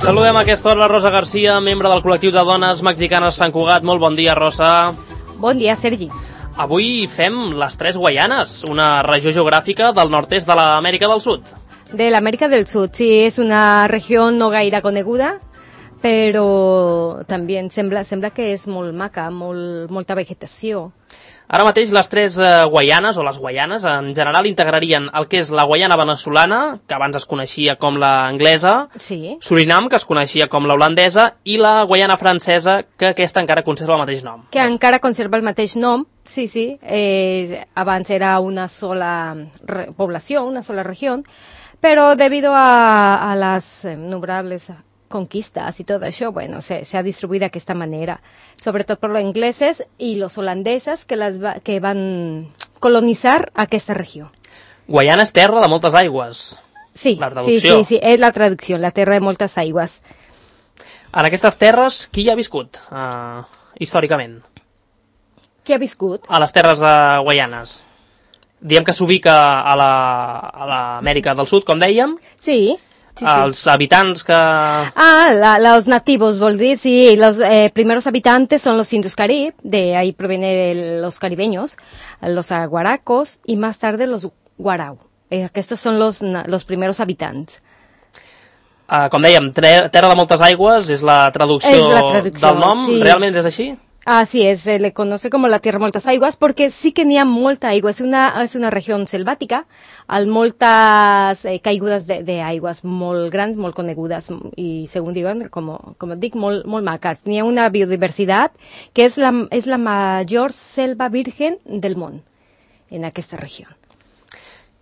Saludem a aquesta hora la Rosa García, membre del col·lectiu de dones mexicanes Sant Cugat. Molt bon dia, Rosa. Bon dia, Sergi. Avui fem les Tres Guayanes, una regió geogràfica del nord-est de l'Amèrica del Sud. De l'Amèrica del Sud, sí, és una regió no gaire coneguda, però també sembla que és molt maca, molta vegetació. Ara mateix les Tres Guayanes, o les Guayanes, en general integrarien el que és la Guaiana venezolana, que abans es coneixia com la anglesa, sí. Surinam, que es coneixia com la holandesa, i la Guaiana francesa, que aquesta encara conserva el mateix nom. Que encara conserva el mateix nom, sí. Abans era una sola població, una sola regió, però debido a las innumerables conquistas y todo eso, bueno, se ha distribuido de esta manera, sobre todo por los ingleses y los holandeses que van colonizar aquesta regió. Guaiana és terra de moltes aigües. Sí, la traducció. Sí, és la traducció, la terra de moltes aigües. En aquestes terres, qui hi ha viscut històricament? Qui ha viscut? A les terres guaianes. Diem que s'ubica a l'Amèrica del Sud, com dèiem. Sí. Els habitants que... los nativos, vol dir, sí, los primeros habitantes son los indios carib, de ahí provienen los caribeños, los aguaracos y más tarde los guarau. Estos son los primeros habitantes. Com dèiem, terra de moltes aigües és la traducció del nom, sí. Realment és així? Así es, se le conoce como la tierra de moltes aigües porque sí que n'hi ha molta aigua, és una regió selvática, amb moltes caigudes d'aigües molt grans, molt conegudes i, segons diuen, com et dic, molt maques. N'hi ha una biodiversitat que és la major selva virgen del món en aquesta regió.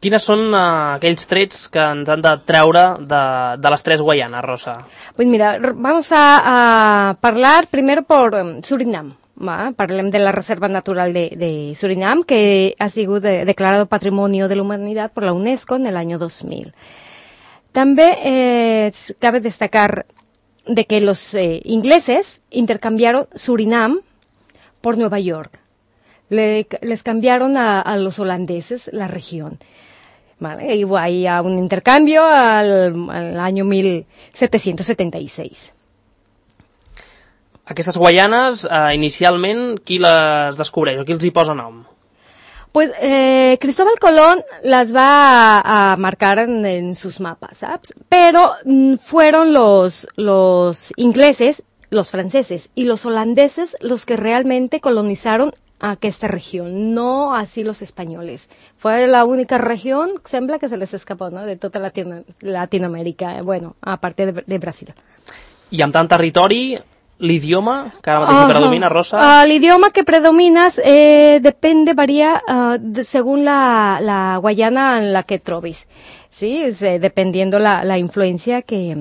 Quines són aquells trets que ens han de treure de les Tres Guayanas, Rosa? Pues mira, vamos a hablar primero por Surinam. Parlem de la Reserva Natural de Surinam, que ha sido declarado Patrimonio de la Humanidad por la UNESCO en el año 2000. También cabe destacar de que los ingleses intercambiaron Surinam por Nueva York. Les cambiaron a los holandeses la región. Vale, y hay un intercambio al año 1776. Aquestes Guaianes, inicialment, qui les descobreix o qui els hi posa nom? Pues Cristóbal Colón las va a marcar en sus mapas, ¿sabes? Pero fueron los ingleses, los franceses y los holandeses los que realmente colonizaron a aquesta región, no así los españoles. Fue la única región, sembla que se les escapó, ¿no?, de tota Latinoamèrica, bueno, a parte de Brasil. I amb tant territori, l'idioma que ara mateix predomina, Rosa? L'idioma que predomina varía según la Guayana en la que trobis, ¿sí? Dependiendo la influencia que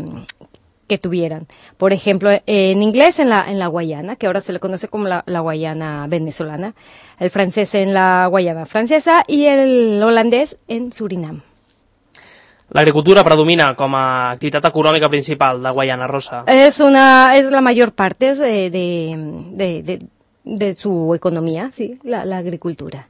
tuvieran. Por ejemplo, en inglés en la Guayana, que ahora se le conoce como la Guayana venezolana, el francés en la Guayana francesa y el holandés en Surinam. L'agricultura predomina com a activitat econòmica principal de Guaiana, Rosa. Es la mayor parte de su economía, sí, la agricultura.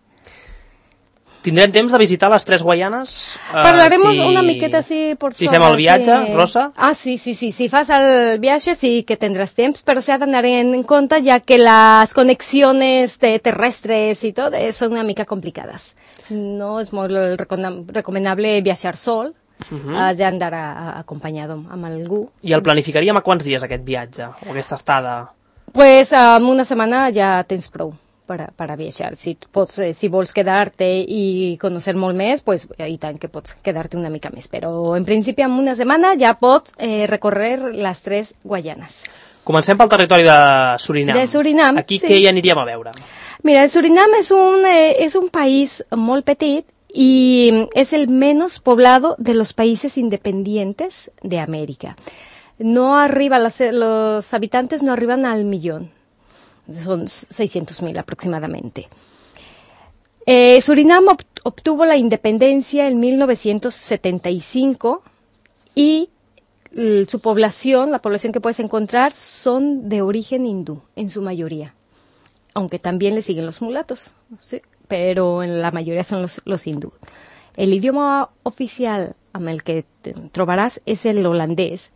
Tindrem temps de visitar les Tres Guayanes? Parlaremos una miqueta així per sobre. Si fem el viatge, sí. Rosa? Sí. Si fas el viatge sí que tendrás temps, però s'ha d'anar en compte ja que les conexiones terrestres i tot són una mica complicades. No és molt recomanable viatjar sol, has d'andar acompanyat amb algú. I el planificaríem a quants dies aquest viatge, o aquesta estada? Pues en una setmana ja tens prou para viajar. Si vols quedar-te i conèixer molt més, pues i tant que pots quedar-te una mica més. Però en principi en una setmana ja pots recórrer les Tres Guayanes. Comencem pel territori de Surinam. De Surinam, aquí sí. Què hi aniríem a veure? Mira, Surinam és un país molt petit y es el menos poblado de los países independientes de América. Los habitantes no arriban al millón. Son 600.000 aproximadamente. Surinam obtuvo la independencia en 1975 y su población, la población que puedes encontrar, son de origen hindú, en su mayoría. Aunque también le siguen los mulatos, ¿sí? Pero en la mayoría son los hindú. El idioma oficial amb el que trobaràs és el holandès.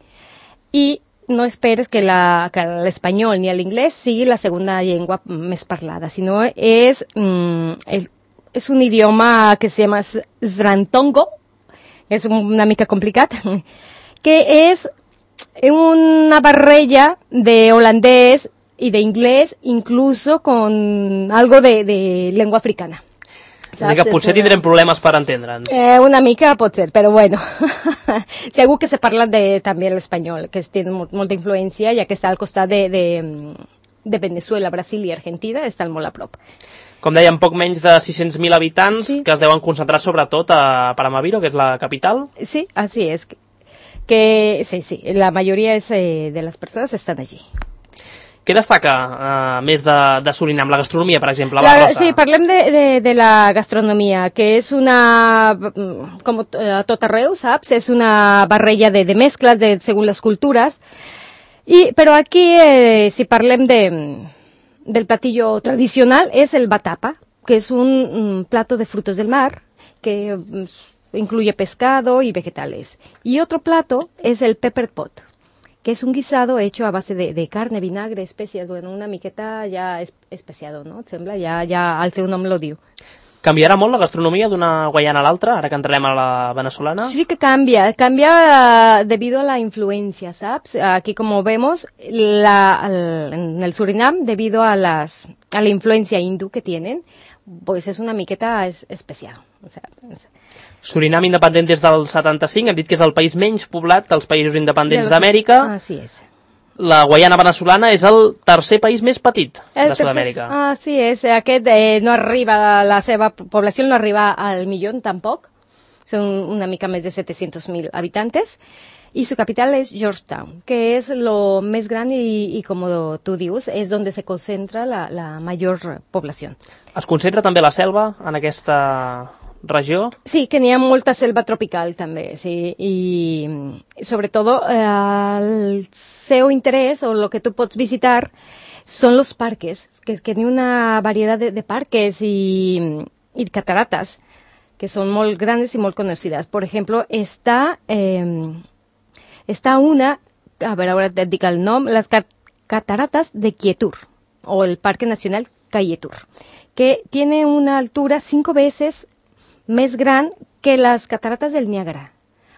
i no esperes que l'espanyol ni l'inglès sigui la segona llengua més parlada, sinó és un idioma que se llama Srantongo, és una mica complicat, que és una barreja de holandès y de inglés, incluso con algo de lengua africana. Saps? Que potser tindrem problemes per entendre'ns. Una mica pot ser, però bueno. Segur que se parla també l'espanyol, que té molta influència, ja que està al costat de Venezuela, Brasil i Argentina, estan molt a prop. Com dèiem, poc menys de 600.000 habitants, sí, que es deuen concentrar sobretot a Paramaribo, que és la capital. Sí, así es. Sí, la mayoría de las personas están allí. Què destaca més de Surinam? La gastronomia, per exemple, la Rosa? Sí, parlem de la gastronomia, que és com a tot arreu, saps? És una barreja de mescles segons les cultures. Però aquí, si parlem del platillo tradicional, és el batapa, que és un plato de frutos del mar, que incluye pescado y vegetales. Y otro plato es el pepper pot, que es un guisado hecho a base de carne, vinagre, especias, bueno, una miqueta ja especiado, no? Et sembla? Ja el seu nom lo diu. Canviarà molt la gastronomia d'una Guayana a l'altra, ara que entrem a la venezolana? Sí que cambia debido a la influencia, ¿sabes? Aquí, como vemos, en el Surinam, debido a la influencia hindú que tienen, pues es una miqueta especial. O sea, Surinam independent des del 75, hem dit que és el país menys poblat dels països independents d'Amèrica. Así es. La Guayana venezolana és el tercer país més petit de Sud-amèrica. Así es, aquest no arriba, la seva població no arriba al milió tampoc, són una mica més de 700.000 habitantes, y su capital es Georgetown, que es lo més gran y como tú dius, es donde se concentra la mayor población. Es concentra també la selva en aquesta regió? Sí, que n'hi ha molta selva tropical també, sí, i sobretot el seu interès o lo que tu pots visitar son los parques, que n'hi ha una varietat de parques y cataratas que son molt grandes y molt conocidas. Por ejemplo, está una, a ver, ahora te digo el nombre, las cataratas de Quietur, o el Parque Nacional Cayetur, que tiene una altura 5 veces més gran que las cataratas del Niágara.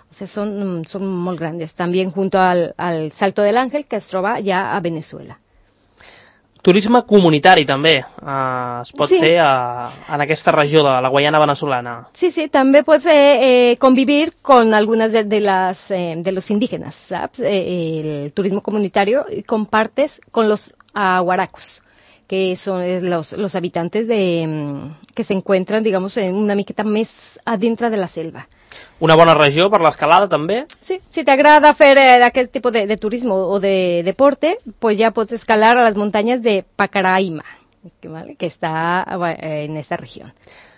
O sea, son molt grandes. También junto al Salto del Ángel, que es troba ja a Venezuela. Turisme comunitari també es pot fer en aquesta regió de la Guayana venezolana. Sí, també pots convivir con algunas de los indígenas, ¿sabes? El turismo comunitario compartes con los aguaracos, que son los habitantes que se encuentran, digamos, en una miqueta més adentro de la selva. Una bona regió per l'escalada, també? Sí, si t'agrada fer aquest tipus de turismo o de deporte, pues ya pots escalar a las montañas de Pacaraima, que està en esta regió.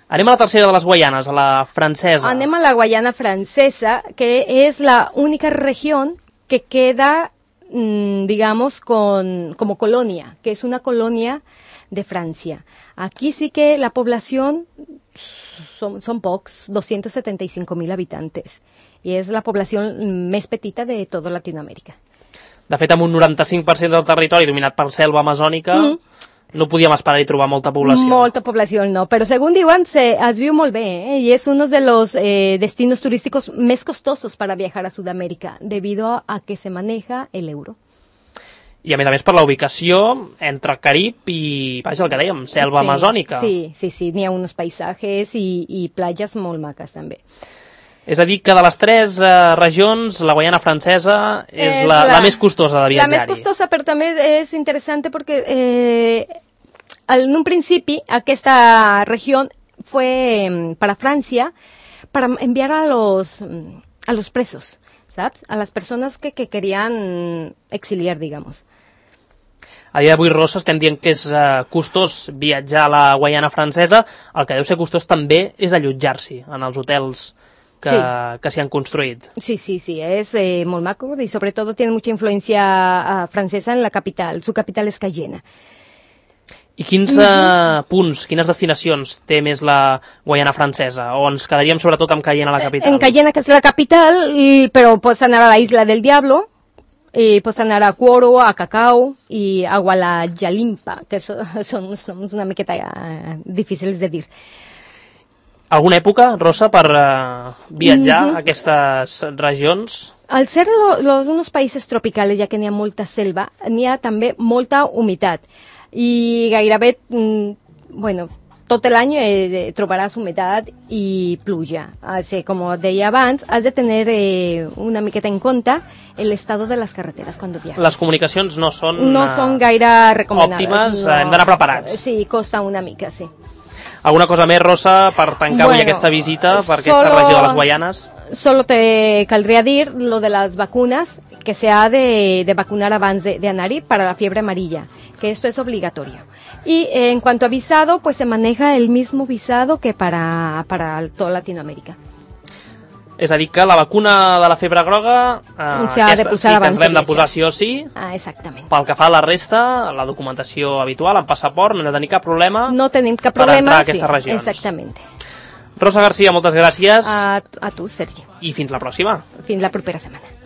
Anem a la tercera de les Guayanes, a la francesa. Anem a la Guayana francesa, que és la única regió que queda, digamos, como colonia, que es una colonia de Francia. Aquí sí que la población son pocs, 275.000 habitantes, i és la població més petita de tota Latinoamèrica. De fet, amb un 95% del territori dominat per selva amazònica, no podíem esperar-hi trobar molta població. Molta població, no, però según diuen, es viu molt bé, y es uno de los destinos turísticos més costosos para viajar a Sudamérica, debido a que se maneja el euro. I a més per la ubicació entre Carib i, vaja, el que dèiem, selva amazònica. Sí, n'hi ha uns paisatges i platges molt maques també. És a dir, que de les tres regions, la Guayana francesa és la més costosa de viatjar-hi. La més costosa, però també és interessant perquè en un principi aquesta regió fue para Francia para enviar a los presos, ¿sabes? A las personas que querían exiliar, digamos. A dia d'avui, Rosa, estem dient que és costós viatjar a la Guayana francesa. El que deu ser costós també és allotjar-s'hi en els hotels que s'hi han construït. Sí, és molt maco y sobre todo tiene mucha influencia francesa en la capital. Su capital és Cayena. I quins punts, quines destinacions té més la Guayana francesa? O ens quedaríem sobretot amb Cayena, la capital? En Cayena, que és la capital, però pots anar a la Isla del Diablo, Pots anar a Cuoro, a Cacao i a Gualajalimpa, que són uns noms una miqueta difícils de dir. Alguna època, Rosa, per viatjar a aquestes regions? Al ser unos países tropicales, ja que n'hi ha molta selva, n'hi ha també molta humitat. I gairebé, tot l'any trobaràs humitat i pluja. Com deia abans, has de tenir una miqueta en compte el estado de les carreteres quan viatges. Les comunicacions no són gaire recomanades. Òptimes, hem d'anar preparats. Sí, costa una mica, sí. Alguna cosa més, Rosa, per tancar avui aquesta visita per aquesta regió de les Guaianes? Solo te caldría dir lo de las vacunas, que se ha de vacunar abans de anar-hi para la fiebre amarilla, que esto es obligatorio. Y en cuanto a visado, pues se maneja el mismo visado que para toda Latinoamérica. És a dir, que la vacuna de la febre groga sí que ens l'hem de posar sí o sí. Exactament. Pel que fa a la resta, la documentació habitual, el passaport, no hem de tenir cap problema. No tenim cap problema, per entrar a aquestes regions. Exactament. Rosa Garcia, moltes gràcies. A tu, Sergi. I fins la pròxima. Fins la propera setmana.